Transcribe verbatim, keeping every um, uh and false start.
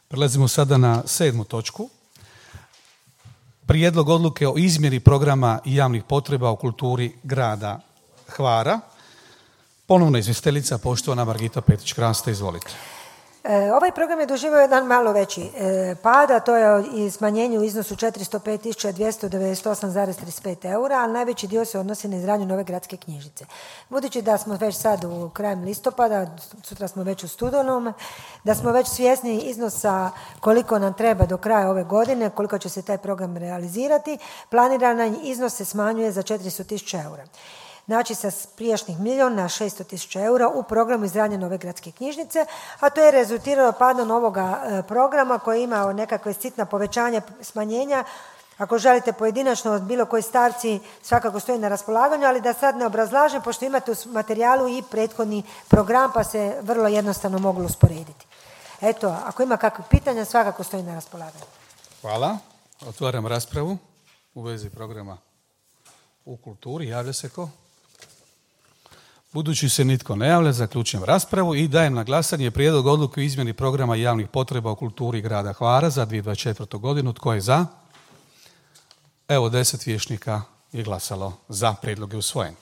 Prelazimo sada na sedmu točku. Prijedlog odluke o izmjeri programa i javnih potreba u kulturi grada Hvara. Ponovno izvjestiteljica, poštovana Margita Petrić-Krasta, izvolite. E, ovaj program je doživio jedan malo veći e, pad, a to je i smanjenje u iznosu četiristo pet tisuća dvjesto devedeset osam zarez trideset pet eura, ali najveći dio se odnosi na izgradnju nove gradske knjižnice. Budući da smo već sad u krajem listopada, sutra smo već u studenom, da smo već svjesni iznosa koliko nam treba do kraja ove godine, koliko će se taj program realizirati, planirani iznos se smanjuje za četiristo tisuća eura. Znači sa prijašnjih milijun na šesto tisuća eura u programu izgradnje nove gradske knjižnice, a to je rezultiralo padom ovoga programa koji ima nekakve sitna povećanja, smanjenja. Ako želite pojedinačno od bilo koje stavci svakako stoji na raspolaganju, ali da sad ne obrazlažem, pošto imate u materijalu i prethodni program pa se vrlo jednostavno moglo usporediti. Eto, ako ima kakve pitanja, svakako stoji na raspolaganju. Hvala. Otvaram raspravu u vezi programa u kulturi. Javlja se ko? Budući se nitko ne javlja, zaključujem raspravu i dajem na glasanje prijedlog odluke o izmjeni programa javnih potreba u kulturi grada Hvara za dvije tisuće dvadeset četvrtu. godinu. Tko je za? Evo, deset vijećnika je glasalo za, prijedlog je usvojen.